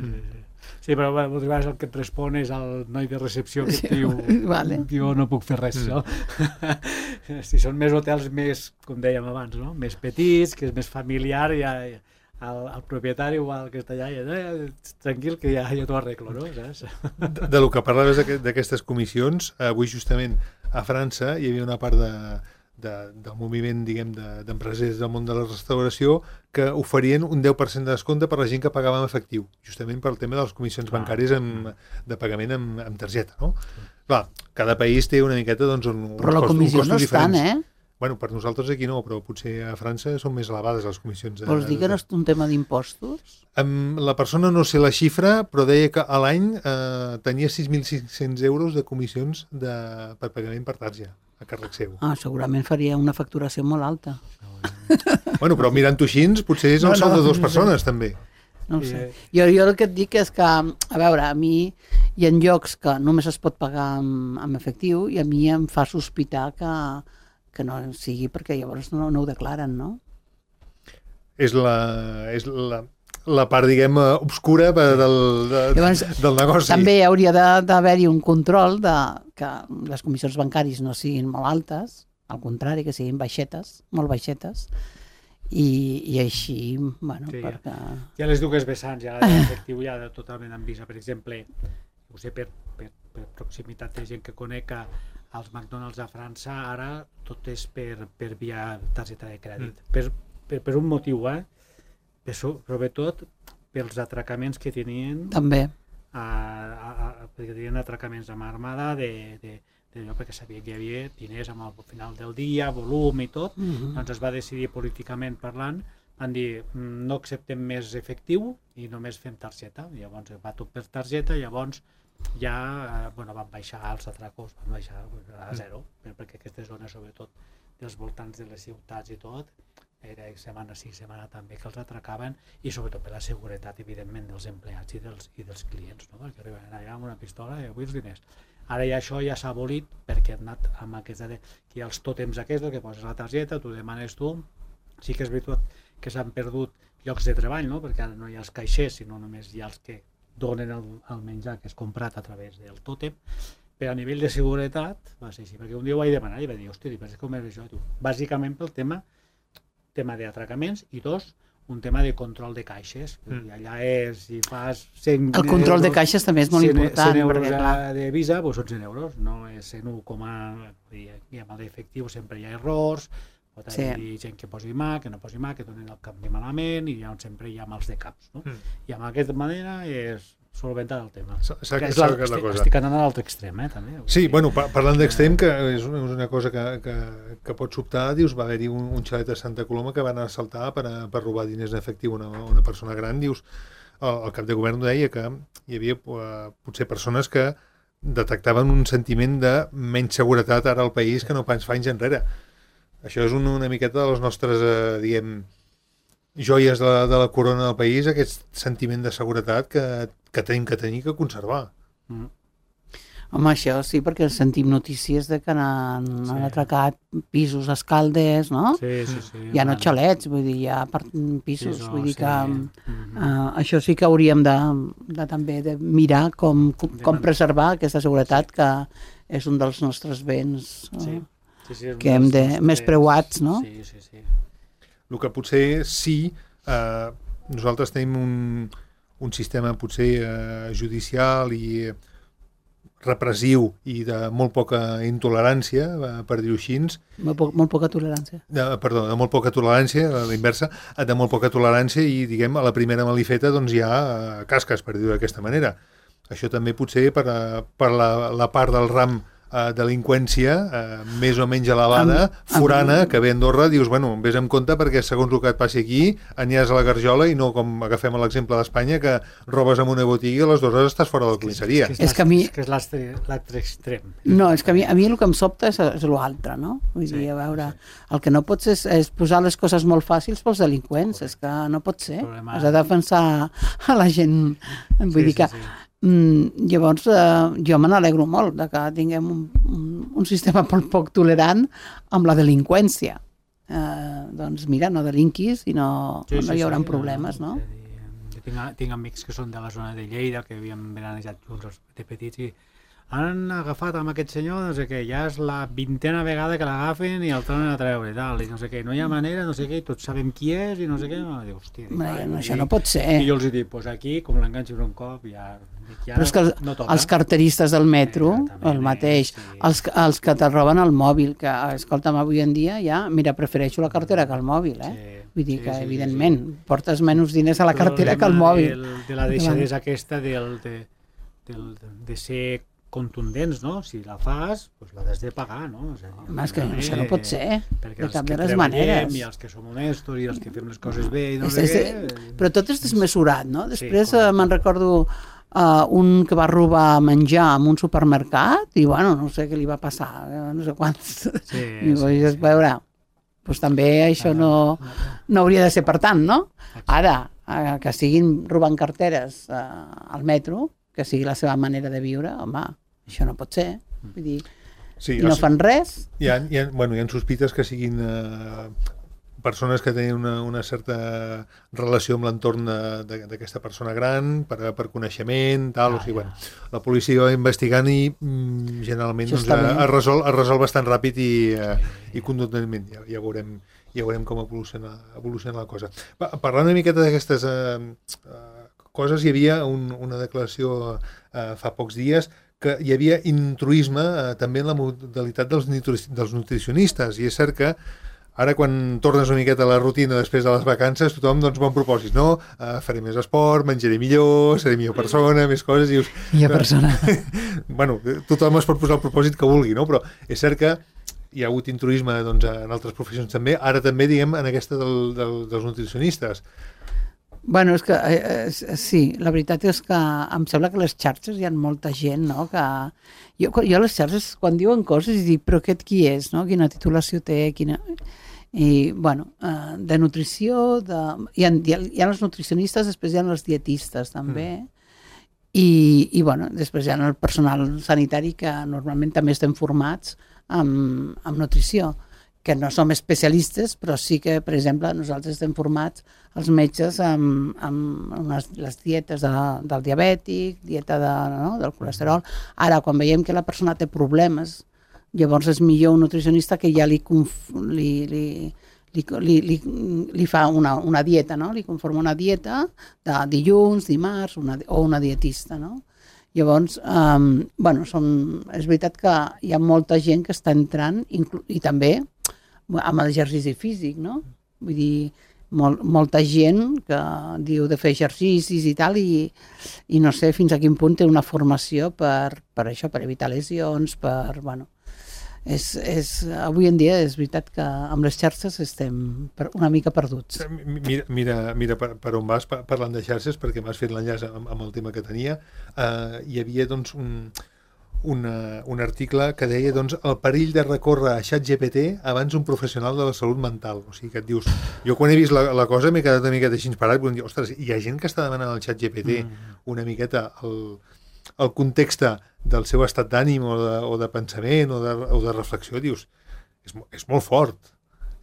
Sí, però moltes vegades el que et respon és el noi de recepció que et diu, vale. jo no puc fer res, no? Si són més hotels més, com dèiem abans, no? Més petits, que és més familiar, ja el propietari o el que està allà, tranquil, que ja t'ho arreglo, no? Saps? Del que parlaves d'aquestes comissions, avui justament a França hi havia una part del moviment, diguem, d'empresaris del món de la restauració que oferien un 10% de descompte per la gent que pagava en efectiu, justament pel tema de les comissions bancàries de pagament amb targeta, no? Clar, cada país té una miqueta, doncs, però la comissió no és tant, Bueno, per nosaltres aquí no, però potser a França són més elevades les comissions. Vols dir que no és un tema d'impostos? La persona no sé la xifra, però deia que a l'any tenia 6.500 euros de comissions per pagament per targeta, a càrrec seu. Segurament faria una facturació molt alta. Bueno, però mirant-ho així, potser és el sou de dues persones, també. No ho sé. Jo el que et dic és que, a veure, a mi hi ha llocs que només es pot pagar amb efectiu i a mi em fa sospitar que no sigui perquè llavors no ho declaren, no? És la part, diguem, obscura del negoci. També hauria d'haver-hi un control que les comissions bancàries no siguin molt altes, al contrari, que siguin baixetes, molt baixetes, i així, bueno, sí, perquè... Hi ha les dues vessants, ja l'efectiu ja totalment amb visa. Per exemple, ho sé per proximitat de gent que conec, als McDonald's a França ara tot és per via targeta de crèdit. Per un motiu, sobretot pels atracaments que tenien. També. Perquè tenien atracaments amb armada d'allò perquè sabien que hi havia diners al final del dia, volum i tot. Doncs es va decidir políticament parlant, van dir no acceptem més efectiu i només fem targeta. Llavors va tot per targeta, llavors ja van baixar els atracos, van baixar a zero, perquè aquesta zona, sobretot dels voltants de les ciutats i tot, era setmana sí, setmana també que els atracaven, i sobretot per la seguretat, evidentment, dels empleats i dels clients, no? Perquè arriben allà amb una pistola i vull els diners. Ara ja això ja s'ha abolit perquè han anat amb aquesta que hi ha els tòtems aquests, que poses la targeta, tu demanes tu. Sí que és veritat que s'han perdut llocs de treball, no? Perquè ara no hi ha els caixers, sinó només hi ha els que donen el menjar que és comprat a través del tòtem, però a nivell de seguretat va ser així, perquè un dia ho vaig demanar i va dir, hosti, com és això? Bàsicament pel tema d'atracaments i un tema de control de caixes. Allà és, si fas 100 el control euros, de caixes també és molt important. 100 euros de visa, doncs són 100 euros, no és 101, i amb l'efectiu sempre hi ha errors, pot haver gent que posi mà, que no posi mà, que donen el canvi malament, i sempre hi ha mals de caps, no? I amb aquesta manera és solventar el tema. Estic anant a l'altre extrem, també. Sí, bueno, parlant d'extrem, que és una cosa que pot sobtar, dius, va haver-hi un xalet a Santa Coloma que van assaltar per robar diners en efectiu a una persona gran, dius, el cap de govern deia que hi havia potser persones que detectaven un sentiment de menys seguretat ara al país que no pas fa anys enrere. Això és una miqueta de les nostres, diguem, joies de la corona del país, aquest sentiment de seguretat que tenim que tenir, que conservar. Home, això sí, perquè sentim notícies de que han atracat pisos a Escaldes, no? Sí. Ja no xalets, vull dir, ja pisos, vull dir que això sí que hauríem de també de mirar com preservar aquesta seguretat, que és un dels nostres béns que hem de més preuats, no? Sí. El que potser sí, nosaltres tenim un sistema potser judicial i repressiu i de molt poca intolerància, per dir-ho així. Molt poca tolerància. Perdó, de molt poca tolerància, a la inversa, de molt poca tolerància i, diguem, a la primera malifeta doncs hi ha casques, per dir-ho d'aquesta manera. Això també potser per la part del ram delinqüència més o menys elevada, forana, que ve a Andorra, dius, bueno, vés amb compte perquè segons el que et passi aquí, aniràs a la garjola i no com agafem l'exemple d'Espanya, que robes en una botiga i a les 2 hores estàs fora de la comissaria. És que és l'altre extrem. No, és que a mi el que em sobta és l'altre, no? Vull dir, a veure, el que no pots és posar les coses molt fàcils pels delinqüents, és que no pot ser. Has de defensar a la gent. Vull dir que Llavors, jo me n'alegro molt de que tinguem un sistema poc tolerant amb la delinqüència. Doncs mira, no delinquis i no hi haurà problemes, no? Tinc amics que són de la zona de Lleida, que havien veranejat junts de petits i han agafat amb aquest senyor, no sé què, ja és la 20a vegada que l'agafen i el tornen a treure i tal, i no sé què, no hi ha manera, no sé què, i tots sabem qui és i no sé què, dic, hòstia... Això no pot ser. I jo els dic, pues aquí, com l'enganxo un cop, ja però és que els carteristes del metro, el mateix, els que te roben el mòbil, que, escolta'm, avui en dia ja, mira, prefereixo la cartera que el mòbil, vull dir que, evidentment, portes menys diners a la cartera que al mòbil. De la deixadesa aquesta de ser contundents, no? Si la fas, doncs l'has de pagar, no? És que això no pot ser, de cap de les maneres. I els que som honestos i els que fem les coses bé i no sé què... Però tot és desmesurat, no? Després me'n recordo un que va robar menjar en un supermercat i, bueno, no sé què li va passar, no sé quants. I vaig veure, doncs també això no hauria de ser per tant, no? Ara, que siguin robant carteres al metro, que sigui la seva manera de viure, home, això no pot ser. Vull dir, no fan res. Hi ha sospites que siguin persones que tenen una certa relació amb l'entorn d'aquesta persona gran, per coneixement, tal, o sigui, bueno, la policia va investigant i generalment es resol bastant ràpid i contundentment. Ja veurem com evoluciona la cosa. Parlant una miqueta d'aquestes coses, hi havia una declaració fa pocs dies que hi havia intruisme també en la modalitat dels nutricionistes, i és cert que ara quan tornes una miqueta a la rutina després de les vacances, tothom doncs bon propòsit, no? Faré més esport, menjaré millor, seré millor persona, més coses. Millor persona. Bueno, tothom es pot posar el propòsit que vulgui, no? Però és cert que hi ha hagut intruisme doncs, en altres professions també, ara també, diguem, en aquesta dels nutricionistes. Bueno, és que sí, la veritat és que em sembla que les xarxes hi ha molta gent, no? Que jo a les xarxes, quan diuen coses, dic, però aquest qui és, no? Quina titulació té, I, bueno, de nutrició, hi ha els nutricionistes, després hi ha els dietistes, també, i bueno, després hi ha el personal sanitari que normalment també estem formats amb nutrició, que no som especialistes, però sí que, per exemple, nosaltres estem formats, els metges, amb les dietes del diabètic, dieta del colesterol. Ara, quan veiem que la persona té problemes, llavors és millor un nutricionista que ja li fa una dieta, no? Li conforma una dieta de dilluns, dimarts, o una dietista, no? Llavors, bueno, és veritat que hi ha molta gent que està entrant, i també amb l'exercici físic, no? Vull dir, molta gent que diu de fer exercicis i tal, i no sé fins a quin punt té una formació per això, per evitar lesions, bueno... Avui en dia és veritat que amb les xarxes estem una mica perduts. Mira per on vas parlant de xarxes, perquè m'has fet l'enllaç amb el tema que tenia. Hi havia doncs un article que deia doncs, el perill de recórrer a ChatGPT abans un professional de la salut mental. O sigui que et dius, jo quan he vist la cosa m'he quedat una miqueta així parat, i dir, ostres, hi ha gent que està demanant al ChatGPT una miqueta el context del seu estat d'ànim o de pensament o de reflexió, dius, és molt fort.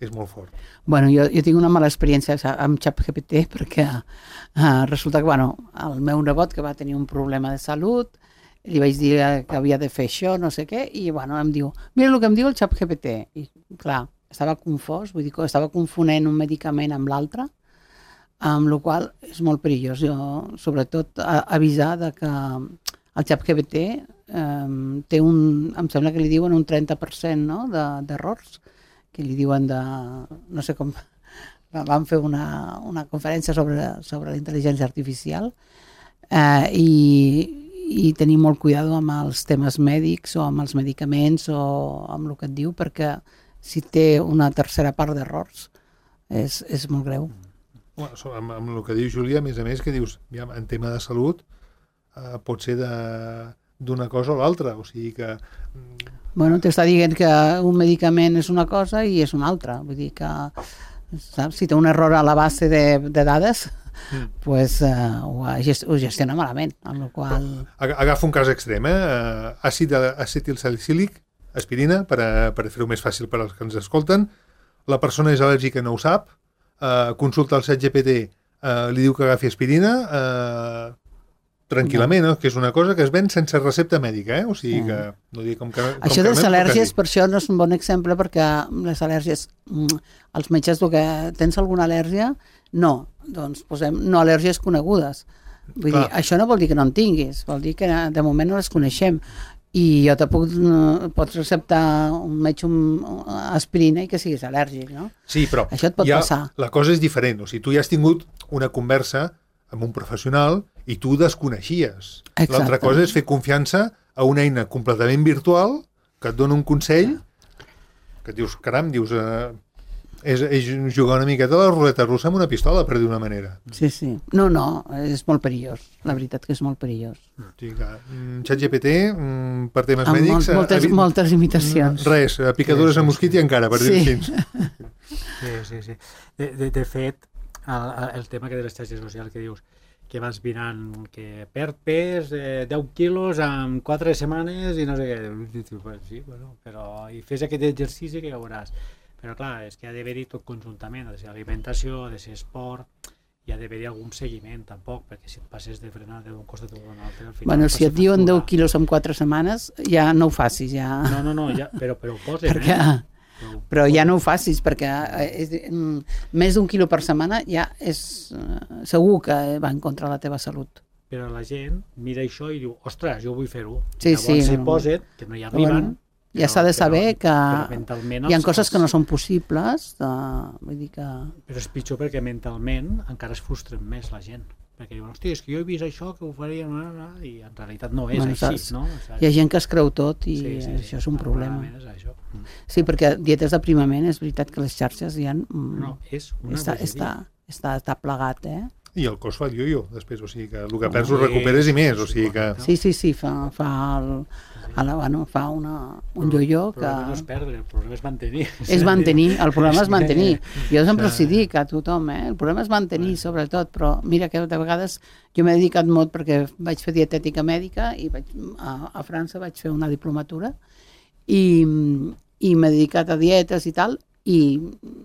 És molt fort. Bueno, jo tinc una mala experiència amb ChatGPT perquè resulta que, el meu nebot que va tenir un problema de salut, li vaig dir que havia de fer això, no sé què, i em diu, mira el que em diu el ChatGPT. I clar, estava confós, vull dir que estava confonent un medicament amb l'altre, amb la qual cosa és molt perillós. Jo, sobretot, avisar que el ChatGPT té em sembla que li diuen un 30%, no?, d'errors, que li diuen no sé com, vam fer una conferència sobre la intel·ligència artificial, i tenir molt cuidado amb els temes mèdics o amb els medicaments o amb el que et diu, perquè si té una tercera part d'errors és molt greu. Amb el que diu Júlia, a més, que dius, en tema de salut pot ser d'una cosa o l'altra, o sigui que... Bueno, t'està dient que un medicament és una cosa i és una altra, vull dir que, saps, si té un error a la base de dades, pues, ho gestiona malament, amb la qual... Agafa un cas extrem, àcid acetilsalicílic, aspirina, per fer-ho més fàcil per als que ens escolten. La persona és al·lèrgica, no ho sap, consulta el ChatGPT, li diu que agafi aspirina, tranquil·lament, que és una cosa que es ven sense recepta mèdica, o sigui que... No dic com això de les al·lèrgies, per això no és un bon exemple, perquè les al·lèrgies, els metges, que tens alguna al·lèrgia? No, doncs posem no al·lèrgies conegudes. Vull dir, això no vol dir que no en tinguis, vol dir que de moment no les coneixem. I jo te pots receptar un metge aspirina i que siguis al·lèrgic, no? Sí, però això et pot passar. La cosa és diferent, o sigui, tu ja has tingut una conversa amb un professional i tu desconeixies. L'altra cosa és fer confiança a una eina completament virtual que et dona un consell que et dius, caram, és jugar una miqueta a la ruleta russa amb una pistola, per dir una manera. Sí. No, és molt perillós. La veritat que és molt perillós. ChatGPT, per temes mèdics... Moltes limitacions. Res, picadures a mosquit i encara, per dir-ho així. Sí. De fet, el tema que de les xarxes socials que dius, que vas mirant que perd pes 10 quilos en 4 setmanes i no sé què. Sí, bueno, però i fes aquest exercici que ja veuràs. Però clar, és que ha d'haver-hi tot conjuntament, ha de ser alimentació, ha de ser esport, i ha d'haver-hi algun seguiment tampoc, perquè si et passes de frenar d'un costat o d'un altre... Bueno, si et diuen 10 quilos en 4 setmanes, ja no ho facis, ja... No, ja, però ho posen, perquè... Però ja no ho facis, perquè més d'1 quilo per setmana ja és segur que va en contra de la teva salut. Però la gent mira això i diu, ostres, jo vull fer-ho. Sí, llavors s'hi posen, que no hi arriben... Ja s'ha de saber que hi ha coses que no són possibles, vull dir que... Però és pitjor perquè mentalment encara es frustren més la gent. Perquè diuen, hòstia, és que jo he vist això, que ho faria, i en realitat no és així, no? Hi ha gent que es creu tot i això és un problema. Sí, perquè dietes d'aprimament és veritat que les xarxes ja... No, és una bogeria. Està plegat, I el cos fa el yo-yo, després, o sigui que el que perds ho recuperes i més, o sigui que... Sí, fa un yo-yo que... El problema no és perdre, el problema és mantenir. És mantenir, el problema és mantenir. Jo sempre els dic a tothom, el problema és mantenir, sobretot, però mira que de vegades jo m'he dedicat molt perquè vaig fer dietètica mèdica i a França vaig fer una diplomatura i m'he dedicat a dietes i tal, i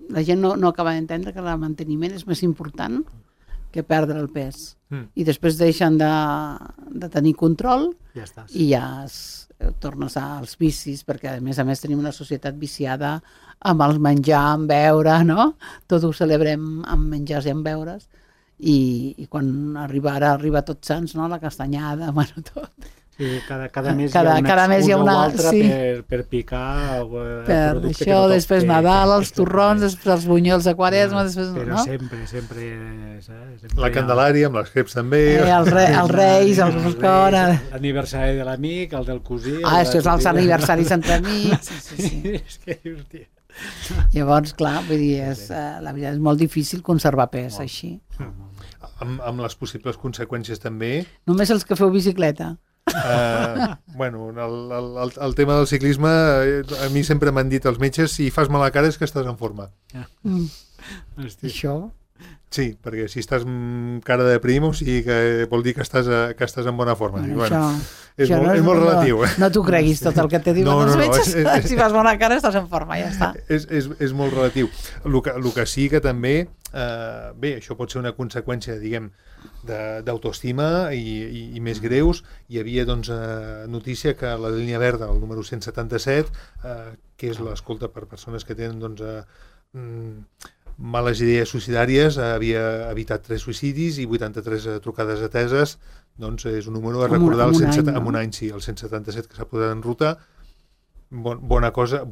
la gent no acaba d'entendre que el manteniment és més important que perdre el pes. I després deixen de tenir control i ja tornes als vicis, perquè a més tenim una societat viciada amb el menjar, amb beure, no? Tot ho celebrem amb menjars i amb beures, i quan arriba Tots Sants, no? La castanyada, bueno, tot. Sí, cada mes hi ha una altra per picar per això, després Nadal, els torrons, després els bunyols de Quaresma, però sempre la Candelària amb les creps també, els Reis, el Roscon, l'aniversari de l'amic, el del cosí, això és els aniversaris entre amics. És que hòstia. Llavors, clar, vull dir, la veritat és molt difícil conservar pes així. Amb les possibles conseqüències també. Només els que feu bicicleta. Bueno, el tema del ciclisme, a mi sempre m'han dit els metges, si fas mala cara és que estàs en forma. Això? Sí, perquè si estàs cara de prim, o sigui que vol dir que estàs en bona forma. És molt relatiu. No t'ho creguis tot el que te diuen els metges. Si fas bona cara estàs en forma, ja està. És molt relatiu. El que sí que també, bé, això pot ser una conseqüència, diguem, d'autoestima i més greus. Hi havia notícia que la línia verda, el número 177, que és l'escolta per persones que tenen males idees suïcidàries, havia evitat 3 suïcidis i 83 trucades ateses. Doncs és un número a recordar en un any, sí, el 177 que s'ha posat en ruta. Bona cosa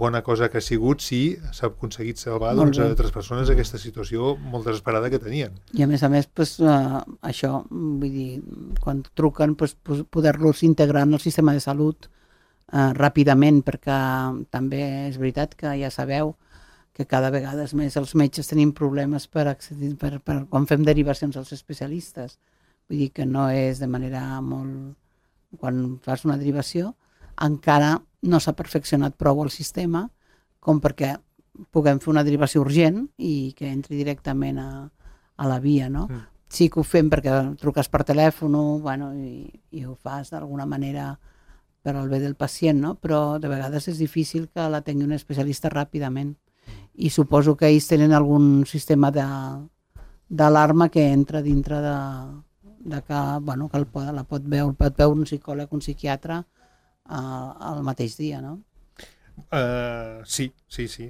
que ha sigut si s'ha aconseguit salvar altres persones d'aquesta situació molt desesperada que tenien. I a més, això, vull dir, quan truquen, poder-los integrar en el sistema de salut ràpidament, perquè també és veritat que ja sabeu que cada vegada més els metges tenim problemes per accedir, quan fem derivacions als especialistes. Vull dir que no és de manera molt... Quan fas una derivació, encara no s'ha perfeccionat prou el sistema com perquè puguem fer una derivació urgent i que entri directament a la via, no? sí que ho fem perquè truques per telèfon, bueno, i ho fas d'alguna manera per al bé del pacient, no? Però de vegades és difícil que l'atengui un especialista ràpidament. I suposo que ells tenen algun sistema d'alarma que entra dintre de que, bueno, que la pot veure un psicòleg, un psiquiatre al mateix dia, no? Sí.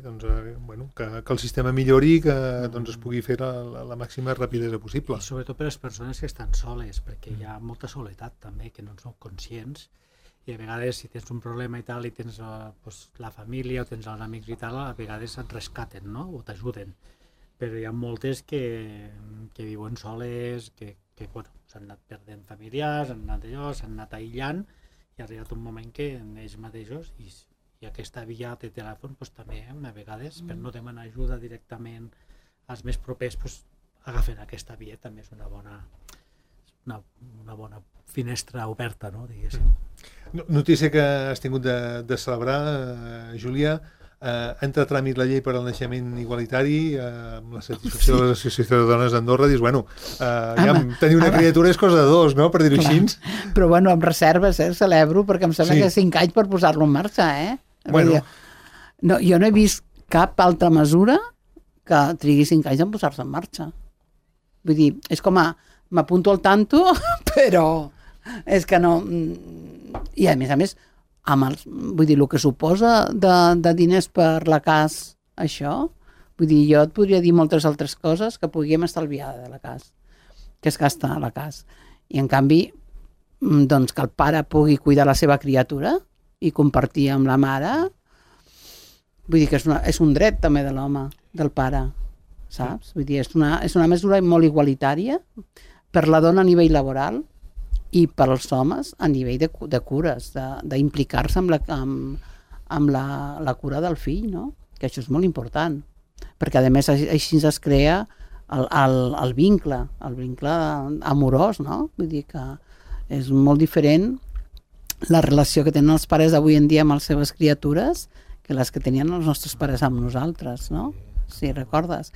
Doncs, bueno, que el sistema millori i que doncs, es pugui fer la màxima rapidesa possible. I sobretot per les persones que estan soles, perquè hi ha molta soledat també, que no en són conscients, i a vegades si tens un problema i tal i tens la família o tens els amics i tal, a vegades et rescaten, no? O t'ajuden. Però hi ha moltes que viuen soles, que bueno, s'han anat perdent familiars, s'han anat aïllant, i ha arribat un moment que ells mateixos, i aquesta via de telèfon pues, també a vegades, per no demanar ajuda directament als més propers, pues, agafen aquesta via, també és una bona finestra oberta, no? Diguéssim. Notícia que has tingut de celebrar, Júlia, entra a tràmit la llei per al naixement igualitari, amb la satisfacció de l'Associació de Dones d'Andorra, dius, bueno, ja tenir una criatura és cosa de dos, no?, per dir-ho així. Però bueno, amb reserves, celebro, perquè em sembla que 5 anys per posar-lo en marxa, Bueno. No, jo no he vist cap altra mesura que trigui 5 anys en posar-se en marxa. Vull dir, és com m'apunto al tanto, però és que no... I a més, vull dir, el que suposa de diners per la CAS, això, vull dir, jo et podria dir moltes altres coses que podríem estalviar de la CAS, que es gasta a la CAS. I en canvi, doncs que el pare pugui cuidar la seva criatura i compartir amb la mare, vull dir que és un dret també de l'home, del pare, saps? Vull dir, és una mesura molt igualitària per la dona a nivell laboral i per als homes a nivell de cures, d'implicar-se amb la cura del fill, no? Que això és molt important, perquè a més així es crea el vincle amorós, no? Vull dir que és molt diferent la relació que tenen els pares d'avui en dia amb les seves criatures que les que tenien els nostres pares amb nosaltres, no? Si recordes.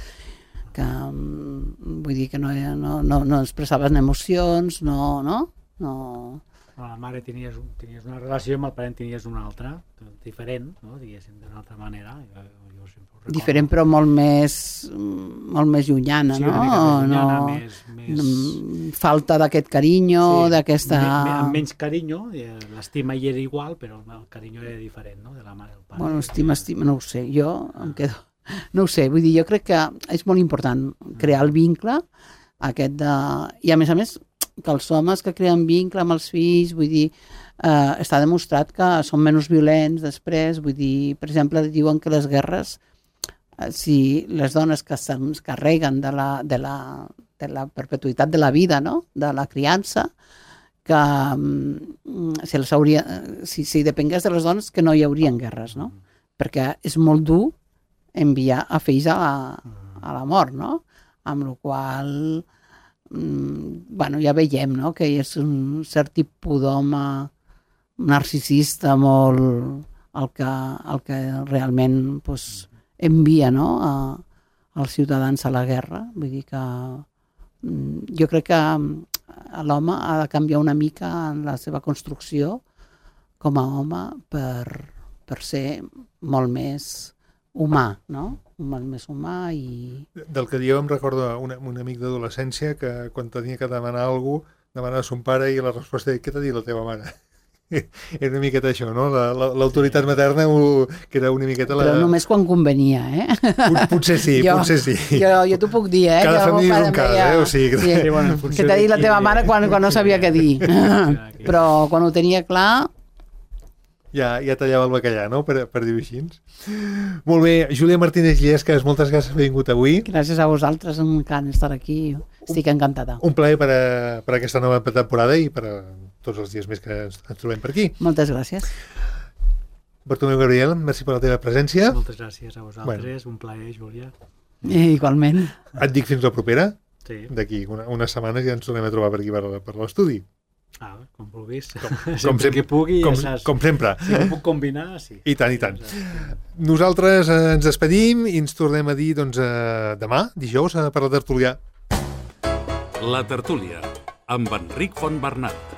Que, vull dir que no expressaven emocions, no? Amb la mare tenies una relació, amb el pare tenies una altra, diferent, no? Diguéssim, d'una altra manera. Jo sempre ho recordo. Diferent, però molt més llunyana, sí, no? Llunyana, més... Falta d'aquest carinyo, sí, d'aquesta... Amb menys carinyo, l'estima hi era igual, però el carinyo era diferent, no?, de la mare i el pare. Bueno, estima, no ho sé, jo em quedo... No ho sé, vull dir, jo crec que és molt important crear el vincle aquest de... I a més, que els homes que creen vincle amb els fills, vull dir, està demostrat que són menys violents després, vull dir, per exemple, diuen que les guerres, si les dones que se'ns carreguen de la perpetuïtat de la vida, no?, de la criança, que si depengués de les dones que no hi haurien guerres, no? Perquè és molt dur enviar a fills a la mort, no? Amb la qual bueno, ja veiem, no?, que és un cert tipus d'home narcisista molt el que realment pues, envia, no?, als ciutadans a la guerra. Vull dir que jo crec que l'home ha de canviar una mica en la seva construcció com a home per ser molt més humà, no? Molt més humà i... Del que dieu em recorda un amic d'adolescència que quan tenia que demanar alguna cosa, demanava a son pare i la resposta era: què t'ha dit la teva mare? Era una miqueta això, no? L'autoritat materna que era una miqueta la... Però només quan convenia, Potser sí, potser sí. Jo t'ho puc dir, Cada família és un cas, O sigui, sí, que t'ha dit la teva mare quan no sabia què dir. Però quan ho tenia clar... Ja tallava el bacallà, no?, per dir-ho així. Molt bé, Júlia Martínez Llescas, moltes gràcies per haver vingut avui. Gràcies a vosaltres, m'encanta estar aquí, estic encantada. Un plaer per aquesta nova temporada i per tots els dies més que ens trobem per aquí. Moltes gràcies. Bartomeu Gabriel, merci per la teva presència. Moltes gràcies a vosaltres, un plaer, Júlia. Igualment. Et dic fins la propera. Sí. D'aquí unes setmanes ja ens tornem a trobar per aquí per l'estudi. Com vulguis. Sempre que pugui, com sempre. Si ho puc combinar, sí. I tant, i tant. Nosaltres ens despedim i ens tornem a dir demà, dijous, per la tertúlia. La tertúlia, amb Enric Fontbernat.